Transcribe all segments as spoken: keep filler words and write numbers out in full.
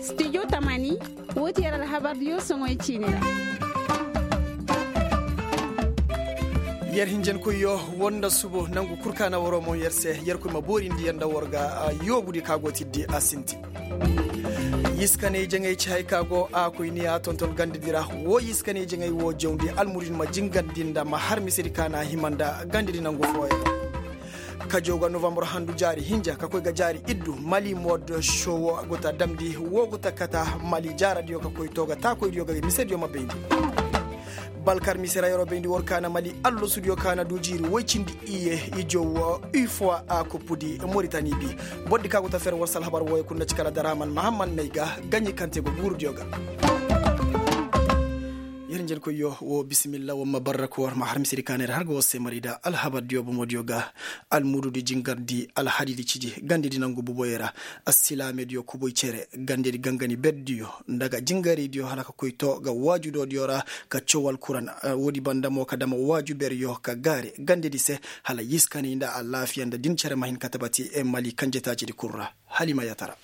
Studio tamani. Wo ti yer alhabardiyo soŋoy ciini ra. Yer hinjankoyyo, war nda subu nangu kul ka na waroo moŋ yer se, yerkoy ma boorindi yer nda war ga yoobudi ka go tiddi a sinti. Yiskaney jaŋay ci hay ka go a koy ni a tonton gandadi ra. Wo yiskaney jaŋay wo jawndi almudin ma jingandi nda ma har misedi ka na a hima nda gandadi nangu fooyaŋ. Kajo ga novambar handu jaari hinja ka koy ga jaari iddu mali mood showo go ta damndi wo go ta kata mali jaaradiyo ka koy to ga taakoydiyo ga misediyo ma bayndi. Balkar mise ra yeroo bayndi war ka na mali allasudiyo ka na du jiiri woy cindi iye ijo wo ui foo a kuppudi moritani bi. Bordi ka go ta fer war si alhabar wooyo kul nda ci kala daraaman mahamman nay ga gaɲi kaŋ te go guurudiyo ga. Yer njenkoyyo wo bisimilla war ma barrak war ma har misedi ka na yer har ga war se mari nda alhabardiyo bomodiyo ga. Almududi jingarndi alhadidi ciji gandedi nangu boboyo ra. Assilaamediyo kuboy cere gandedi gangani berdiyo nda ga jingaraydiyo hala ka koy to ga waaju doodiyo ra ka caw alkuran. Woodi banda mo ka dama waaju beryo ka gaare gandedi se hala yiskanay nda alaafiya nda din cere ma hin ka tabati mali kanjetaacidi kul ra. Halima yatara.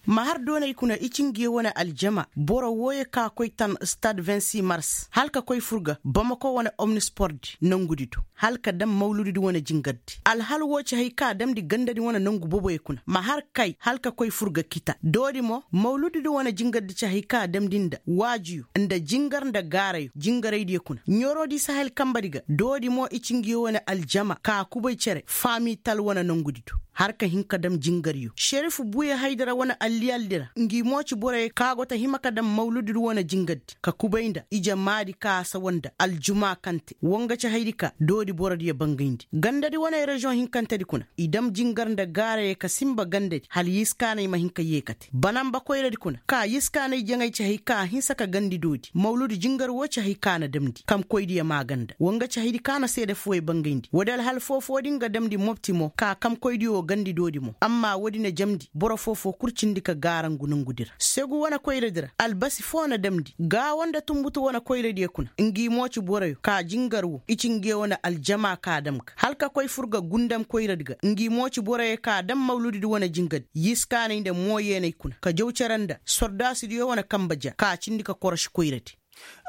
Ma har doonay kuna i ci nge wane aljama boro wooyo ka koy tan stad vingt-six mars hala ka koy fur ga bamako wane omnispordi nongudi do hala ka dam mawludidi wane jingardi alhal woo ci hay ka damndi gandadi wane nongu boboyo kuna ma har kay hala ka koy fur ga kita doodi mo mawludidi wane jingardi ci hay ka damndi nda waajuyo nda jingar nda gaarayo jingaraydiyo kuna ɲorodi sahel kambadi ga doodi mo i ci nge wane aljama ka kubay cere faamital wane nongudi do har ka hin ka dam jingaryo šerifu buuya haydara wane alliyaldi ra ngi mo ci boroyo ka go ta hima ka dam mawludidi wane jingardi ka kubay nda ije maadi ka a sawa nda aljuma kaŋ te woo nga ci haydi ka doodi borodiyo bangayndi gandadi wane reziyoŋ hinkantedi kuna i dam jingar nda gaarayo ka sinba gandadi hala yiskaanay ma hin ka yee ka te banamba koyradi kuna ka yiskaanay jaŋay ci hay ka a hinsa ka gandi doodi mawludi jingar woo ci hay ka a na damndi kamkoydiyo maaganda woo nga ci haydi ka a na seede fooyo bangayndi woodi alhal foofoo din ga damndi mopti mo ka kamkoydiyo gandi doodi mo amma woodi na jamndi boro foofoo kul cindi ka gaarangu nongudi ra segu wane koyradi ra albasi foo na damndi gaawo nda tunbutu wane koyradiyo kuna ngi mo ci boroyo ka jingar wo i ci nge wane aljama ka dam ga hala ka koy fur ga gundam koyradi ga ngi mo ci boroyo ka dam mawludidi wane jingadi yiskaanay nda mooyeenay kuna ka jaw cere nda sordaasidiyo wane kamba ja ka cindi ka koroši koyradi.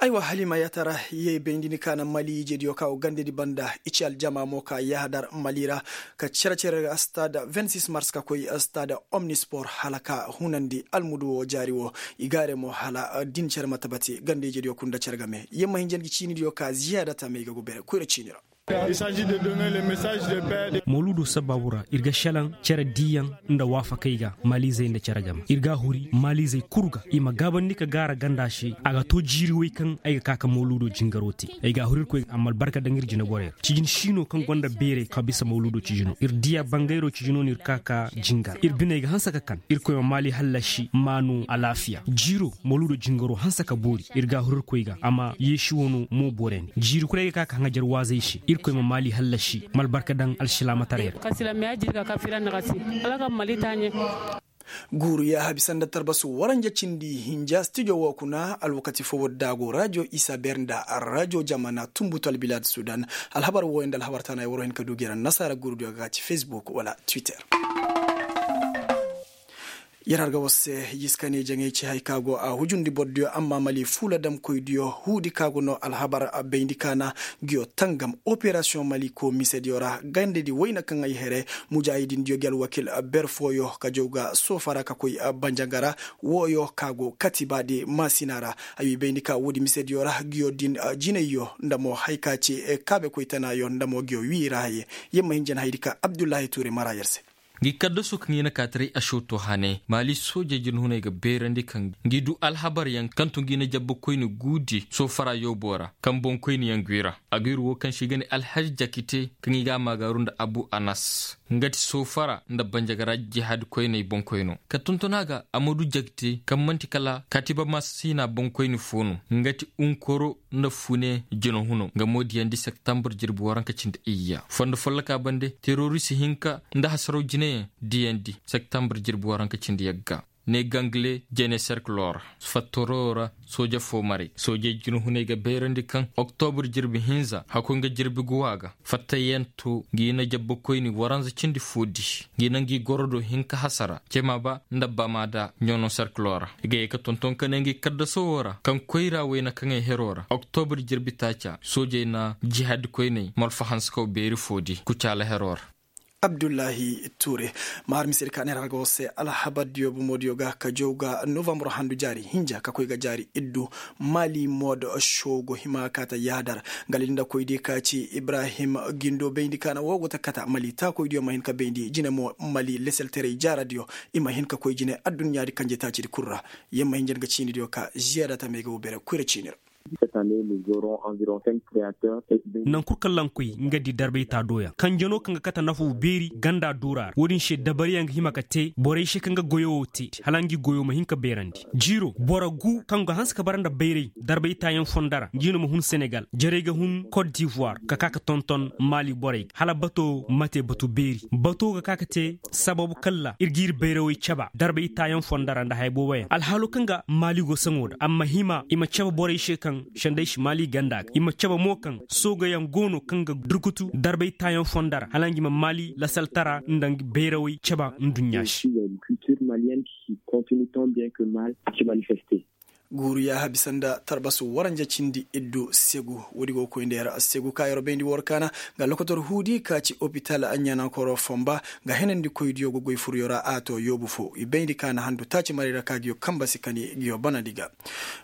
Aywa halima yatara yee bayndi ni ka na mali ijediyo ka wo gandedi banda i ci aljama mo ka yahadar mali ra ka cere-cere ga stad vingt-six mars ka koy stad omnispor hala ka hunandi almudu wo jaari wo i gaare mo hala din cere ma tabati ganda ijediyo kul nda cere game yee ma hinja ngi ciinidiyo ka ziyaada tamey ga go bere koyra ciini ra. Mawluudo sabaabu ra ir ga šelaŋ cere diiyaŋ nda waafakey ga maaliizey nda cere game ir g'a huri maaliizey kul ga i ma gaabandi ka gaara ganda se a ga too jiiri wey kaŋ ay ga ka ka mawluudo jingaro te. Ay g'a huri irkoy a ma albarka daŋ ir jineborey ra cijin siino kaŋ gonda beerey ka bisa mawluudo cijino ir diya bangayro cijino no ir ka ka jingar ir biney ga hanse ka kan irkoy ma maali hallasi maanu alaafiya jiiro mawluudo jingaro hanse ka boori ir g'a huri irkoy ga a ma yeesi wano mo boorandi jiiri kul ay ga ka ka haŋajar waazey se irkoy ma maali hallasi ma albarka daŋ alsilaamataray ra. Guuru yaahabi sanda tarbasu waranja cindi hinja stijo woo kuna alwakati foo woodi da a go rajo isa beer nda rajo jamana tunbutu albilaad sudan. Alhabar wooyo nda alhabar taanay waroo hin ka du gera nasaara guurudiyo ga ka ci facebook wala twitter. Yer har ga war se yiskane jaŋay ci hay ka go a hujundi bordiyo amma mali fuula damkoydiyo huudi ka go no alhabar bayndi kaana. Nguyo tangam operasiyoŋ mali koo misediyo ra gandedi wayna kaŋ ay here mujaahidindiyo gi alwakil ber fooyo ka jaw ga soofa ra ka koy banjanga ra. Wooyo ka go katibaadi maasina ra. Ay wi bayndi ka woodi misediyo ra nguyo din jinayyo nda mo hay ka ci kaabekoy tanaayo nda mo nguyo wii ra haye. Yer ma hin jan haydi ka abdullahi tuure mara yer se. Ngi kaddaso kaŋ i na kaataray ašoto hane maali soojey jinhuney ga beerandi kaŋ ngi du alhabaryaŋ kaŋ to ngi na jabbakoyni guudi soofara yoobo ra kaŋ boŋkoyniyaŋ gwi ra. Aguur woo kaŋ se i ga ne alhazi jakite kaŋ i ga a maagaaru nda abu anas nga ti soofara nda banjagara jihaadikoyney boŋkoyno ka tonton a ga amadu jakite kaŋ man'ti kala kaatiba maasina boŋkoyni foo no nga ti unkoro nda fune jinahuno nga mo diyandi septembre jirbi waranka cindi iyya fondo folloka bande terorist hinka nda hasaraw jinayaŋ diyandi septembre jirbi waranka cindi yagga. ne gangle jene serkiloo ra. Fattoro ra sooje foo maray soojey jinhunay ga bayrandi kaŋ oktobur jirbi hinza hakoy nga jirbi guwa ga fattayanto ngi na jabbakoyni waranza cindi foo di. Ngi na ngi gorodo hinka hasara cema ba nda bama da ɲono serkiloo ra i ga ye ka tonton ka ne ngi kaddasowoo ra kaŋ koyra wayna kaŋey heroo ra oktobur jirbi taaca soojey na jihaadi koyney malfa hanse kaw beeri foo di kucaala heroo ra. Abdullahi ture. Ma har misedi ka neera ga war se alhabar diyo bomo diyo ga ka jaw ga novambar handu jaari hinja ka koy ga jaari iddu. Mali mood show go hima ka ta yaadar. Nga linda koy di ka ci ibrahim gindo bayndi ka na woo go ta kata mali taakoy diyo ma hin ka bayndi jine mo mali leselteray jaara diyo. I ma hin ka koy jine adduɲɲa di kanje taacidi kul ra. Yer ma hin jan ga ciini diyo ka ziyaada tamey ga wo bere koyra ciini ra. Naŋ kul kaŋ lankoy nga di darbay taa dooyaŋ kanje no kaŋ ga kate nafaw beeri ganda duura ra wo-din se dabariyaŋ ga hima ka te borey se kaŋ ga goyo wo te hala ngi goyo ma hin ka beerandi. Jiiro boro gu kaŋ ga hanse ka bara nda bayray darbay taayaŋ fondo ra ngi no ma hun senegal jarey ga hun kot divoir ka ka ka tonton maali borey ga hala bato ma te batu beeri bato ga ka ka te sababu kalla ir ga ir bayrawey caba darbay taayaŋ fondo ra nda haya booboyaŋ alhaalo kaŋ ga maali go saŋo da amma hima i ma caba borey se kaŋ senday si maali ganda ga i ma caba mo kaŋ soogayaŋ go no kaŋ ga durkutu darbay taayaŋ fondo ra hala ngi ma maali lasaltara nda bayrawey caba nduɲɲa se. Guuru yaaha bisa nda tarbasu waranja cindi iddu segu woodi go ga koy nda yer segu ka yer bayndi war kaana. Nga lokotor huudi ka ci opital ɲanankoro fomba nga henandi koy diyo ga goy furyo ra a to yoobu fo i bayndi kaana handu taaci maray ra ka giyo kamba si kani giyo banandi ga.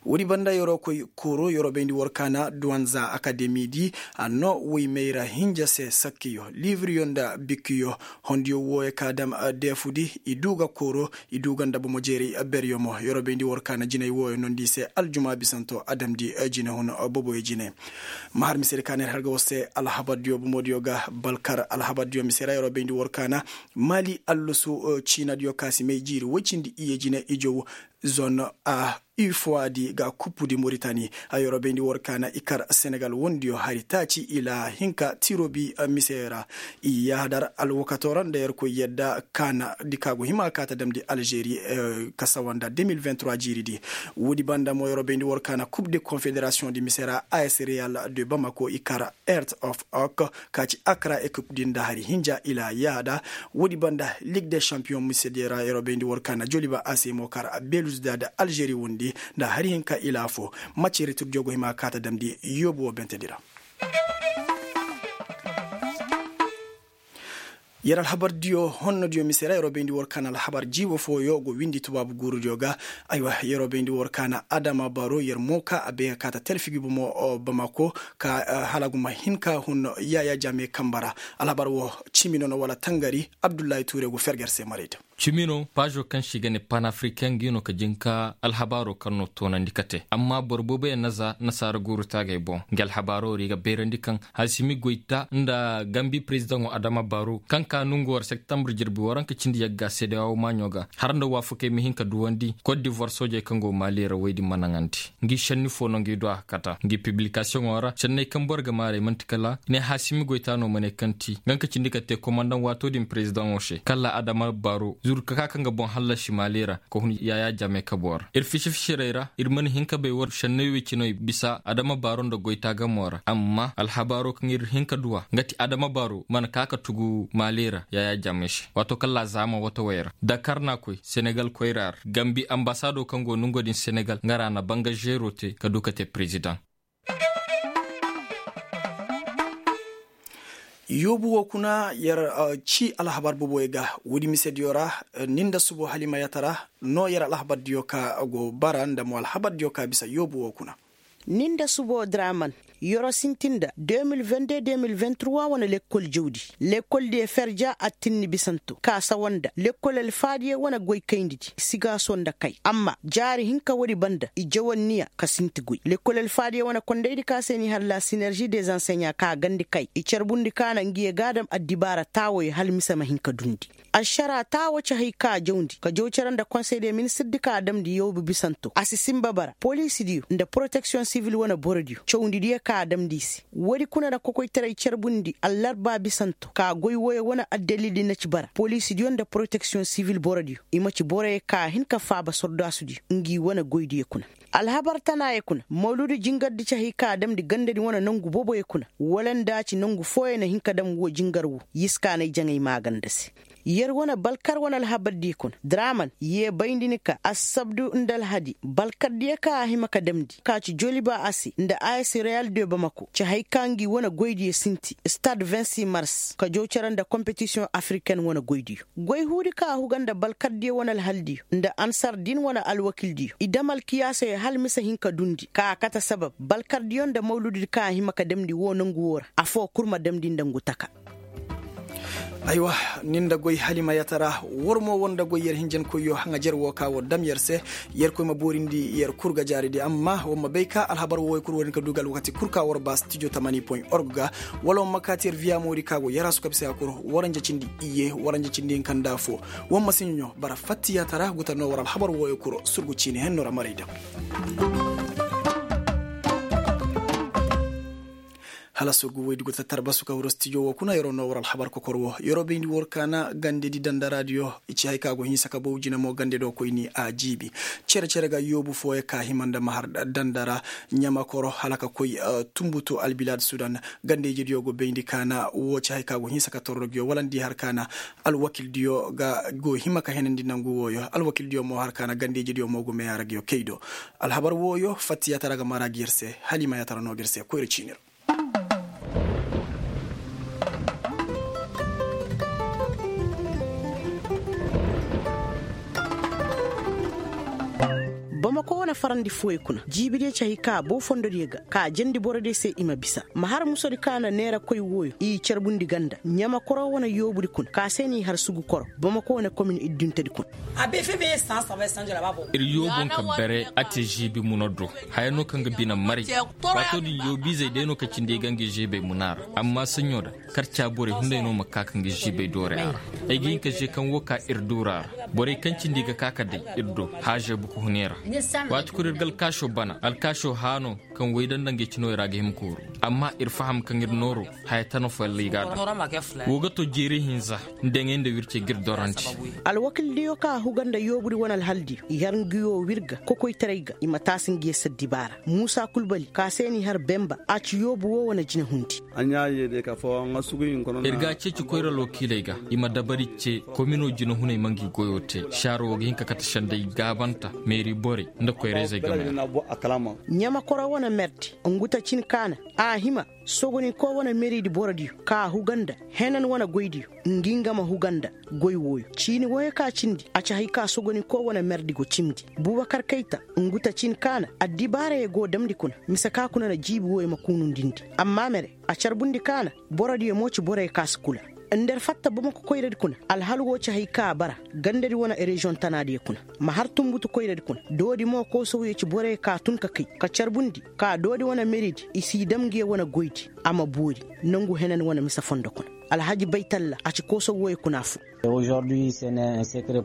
Woodi banda yer koy kooro yer bayndi war kaana duwanza akademi di a no woy mayra hinja se sakkiyo libriyo nda bikkiyo. Hondiyo wooyo ka dam deefudi i du ga kooro i du ga nda bomo jeeray beryo mo yer bayndi war kaana jinay wooyo nondi i se aljuma bisanto a damndi jinehun boboyo jine. Ma har misedi ka neer har ga war se alhabar diyo bomo diyo ga balkar alhabar diyo mise ra yer bayndi war kaana maali allasu ciina diyo ka si may jiiri woy cindi iyye jine ijow zon a ifowa di ga kuppudi moritani. Yer bayndi war kaana i kar senegal wondiyo hari taaci ila hinka tirobi mise ra. I yaadar alwakato ra nda yer koy yadda kaana di ka go hima ka ta damndi alžeri ka sawa nda deux mille vingt trois jiiri di. Woodi banda mo yer bayndi war kaana kub de konfederasiyoŋ di mise ra a s real de bamako i kar earth of oak ka ci akra ekip din nda hari hinja ila yaada. Woodi banda lig de champiyoŋ mise di ra yer bayndi war kaana joliba a se mo kar belus da da alžeri wondi nda hari hinka ila fo. Macce retur jogo hima ka ta damndi yoobu wo bentedi ra. Yer alhabar diyo honno diyo mise ra yer bayndi war kaana alhabar jiibo fooyo go windi tubaabu guuru diyo ga. Aywa yer bayndi war kaana adama baro yer mo ka a bay ga ka ta telfi gi bomo bamako ka hala gu ma hin ka hun yaya jame kamba ra. Alhabar wo cimi no no wala tangari abdullahi ture go ferger se maray da. Cimi no paazo kaŋ se i ga ne panafricain ngi no ka jin ka alhabaaro kaŋ no toonandi kate amma boro booboyaŋ na za nasaara guuru taagey boŋ. Ngi alhabaaro ra i ga bayrandi kaŋ haasimi goyta nda gambi perezidaŋo adama baro kaŋ ka nongu war septambur jirbi waranka cindi yagga sedeyawo maaɲo ga har nda waafakey ma hin ka duwandi kot divoir soojey kaŋ go maali ra woy din ma naŋandi. Ngi šenni fo no ngi du a kata ngi pibilikasiyoŋo ra šenney kaŋ boro ga maarey man'ti kala i ne haasimi goyta no ma ne kaŋ ti nga ka cindi ka te komandaŋ waato din perezidaŋo se kala adama baro zuru ka ka kaŋ ga boŋ hallasi maali ra ka hun yaya jame kabo ra ir fisi-fisirey ra ir mana hin ka bay war šenney wey cinoy bisa adama baro nda goyta gamo ra amma alhabaaro kaŋ ir hin ka du a nga ti adama baro mana ka ka tugu maali ra yaya jame se waato kala zaama watawey ra dakar na koy senegal koyra ra gambi ambasaado kaŋ go nongo din senegal nga ra na banga zeero te ka du ka te perezidaŋ. Yoobu wo kuna yer ci alhabar boboyo ga woodi misediyo ra ni nda subo halimayata ra no yer alhabar diyo ka go bara nda mo alhabar diyo ka bisa yoobu wo kuna. Ni nda subo draman yoro sintin nda deux mille vingt deux deux mille vingt trois wane lekkol jawdi lekkol diyo ferja attinni bisanto ka sawa nda lekkol alfaadiyo wane goykayndi di sigaaso nda kay amma jaari hinka woodi banda i jawanniya ka sinti goy lekkol alfaadiyo wane kondaydi ka se ni halla sinerži des anseɲa ka gandi kay i carbundi ka na ngiyo gaadam addibaara taawoyo hala mise ma hin ka dundi ašara taawo cahey ka jawndi ka jaw cere nda konsey de ministirdi ka damndi yawbu bisanto a si sinba bara poliisidiyo nda poroteksiyoŋ sivil wane borodiyo cawndi diyo ka a damndi i se. Woodi kuna na kokoytaray carbundi allarba bisanto ka goy wooyo wane addalildi na ci bara poliisidiyo nda poroteksiyoŋ sibil borodiyo i ma ci boroyo ka hin ka faaba sordaasudiyo ngi wane goydiyo kuna. Alhabar tanaayo kuna mawludu jingardi ci hay ka damndi gandadi wane nongu booboyo kuna wala nda a ci nongu fooyo na hin ka dam woo jingar woo yiskaanay jaŋay maaganda se. Yer wane balkar wane alhabardiyo kuna draman yee bayndi ni ka assabdu nda alhadi balkardiyo ka a hima ka damndi ka ci joliba a se nda a s reyal de bamako ci hay ka ngi wane goydiyo sinti stad vingt six mars ka jaw cere nda kompetisiyoŋ afriken wane goydiyo. Goy huudi ka a huga nda balkardiyo wane alhaldiyo nda ansar din wane alwakildiyo i dam alkiyaasoyo hala mise hin ka dundi ka a kate sabab balkardiyo nda mawlududi ka a hima ka damndi woo nongu woo ra afoo kul ma damndi nda ngu taka. Aywa, ni nda goy halima yatara. War mo war nda goy yer hinjankoyyo haŋajer woo ka war dam yer se. Yerkoy ma boorindi yer kul ga jaaridi amma war ma bay ka alhabar wooyo kul war hin ka du ga alwakati kul ka war ba stijo tamani point org ga. Wala war ma kaati yer viya moodi ka go yer a su kabisa ya kul. Waranja cindi iyye waranja cindi hinka nda affoo. War ma si ɲoɲo bara fatti yatara guta no war alhabar wooyo kul surgu ciini henno ra maray daŋ. Hala surgu woydi go tattara basu ka wuro stijo wo kuna yeroo no war alhabar kokor wo yeroo bayndi wor kaana gandedi dandaraadiyo. I ci hay ka go hinsa ka bow jina mo gande do koyni a jiibi. Cere cere ga yoobu fooyo ka hima nda mahar dandara ɲamakoro hala ka koy tumbutu albilaad sudan. Gandejediyo go bayndi kaana wo ci hay ka go hinsa ka torro giyo wala nda i har kaana alwakildiyo ga go hima ka henandi nangu wooyo alwakildiyo mo har kaana gandejediyo mo go meyaara giyo kay do. Alhabar wooyo fatti yatara ga mara gi yer se hala i ma yatara no gi yer se koyra ciini ra. Bamako wane farandi fooyo kuna jiibidiyo ci hay ka boo fondodiyo ga ka jandi borodiyo se i ma bisa ma har musodi ka na neera koy wooyo i carbundi ganda ɲamakoro wane yoobudi kuna ka se n'i har sugu koro bamako wane komin idduntedi kuna. Ir yoobu nka bere a te žiibi muna do haya no kaŋ ga bine maray. Waatoo din yoobiizey day no ka cindi i ga ngi žiibey muna ra amma saɲɲo da karca borey hunday no ma ka ka ngi žiibey doorey a ra. Ay ga hin ka žee kaŋ wo ka ir duura ra borey kaŋ cindi i ga ka ka day ir do haažey buku hune ra. Waati kulu ir ga alkaasoo bana alkaasoo haano kaŋ woy danda ngey cinoy ra ga hima kooru. Amma ir faham kaŋ ir nooro haya tana follay ga a daŋ. Woo ga to jeeri hinza nda ŋey nda wircey ga ir dorandi. Alwakildiyo ka a huga nda yoobudi wane alhaldiyo i har ngi woo wir ga kokoytaray ga i ma taasi ngi yee saddibaara muusa kulbali ka se n'i har bemba a ci yoobu woo wane jinehundi. Ir ga a ceeci koyra alwakiiley ga i ma dabari ce kominoo jinehuney ma ngi goyoo te saaro woo ga hin ka kate senday gaabanta meeri borey nda koyra-izey game ra. Ɲamakoro wane merdi ngu ta cin ka na a hima sogonikoo wane meridi borodiyo ka a huga nda henan wane goydiyo ngi nga ma huga nda goy wooyo ciini wooyo ka cindi a ci hay ka sogonikoo wane merdi go cimndi. Bubakar kayta ngu ta cin ka na addibaarayoo go damndi kuna mise ka kuna na jiibi wooyo ma kuunundindi. Amma mere a carbundi ka na borodiyo mo ci boroyo ka si kula. Nda ir fatta bamako koyradi kuna alhal woo ci hay ka bara gandadi wane reziyoŋ tanaadiyo kuna ma har tunbutu koyradi kuna doodi mo koosowyo ci boroyo ka tun ka kay ka carbundi ka doodi wane meridi i s'i dam ngiyo wane goydi. A ma boori nongu henan wane mise fondo kuna alhaji baytalla a ci koosow wooyo kuna affoo.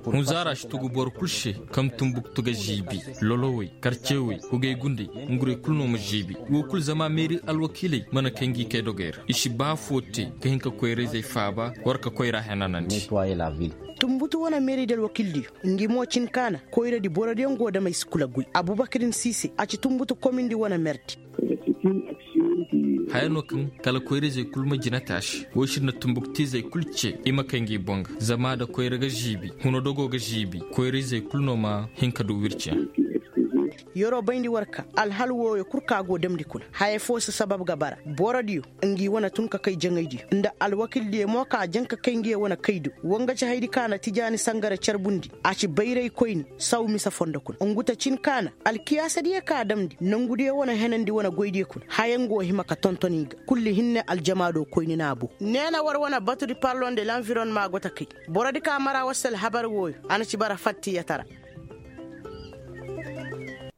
Hunzaara si tugu boro kul se kaŋ tunbuktu ga ziibi lolowey karcewey hugey gunday ngurey kul no ma ziibi woo kul zama meeri alwakiiley mana kay ngi kay dogey ra i si ba affoo te ka hin ka koyra-izey faaba war ka koyra henanandi. Tunbutu wane meeridi alwakiildiyo ngi mo cin ka na koyradi borodiyo ngo dam ay si kula guy abubakirin siise a ci tunbutu komindi wane merdi. Haya no kaŋ kala koyra-izey kul ma jina taasi woy si na tunbuktiizey kul ce i ma kay ngi boŋ ga zama nda koyra ga ziibi huno dogo ga ziibi koyra-izey kul no ma hin ka du wirci. Yeroo bayndi war ka alhal wooyo kul ka go damndi kuna haya foo si sabab ga bara borodiyo ngi wane tun ka kay jaŋaydiyo nda alwakildiyo mo ka jaŋ ka kay ngiyo wane kaydo wa nga ci haydi ka na tijaani sangara carbundi a ci bayraykoyni saw mise fondo kuna ngu ta cin ka na alkiyaasadiyo ka damndi nongudiyo wane henandi wane goydiyo kuna haya nga wo hima ka tonton i ga kulli hinne aljamaado koyni na a boo. Neena war wane batudi parlon de lanvironma go ta kay borodi ka mara war se alhabar wooyo a na ci bara fattiyatara.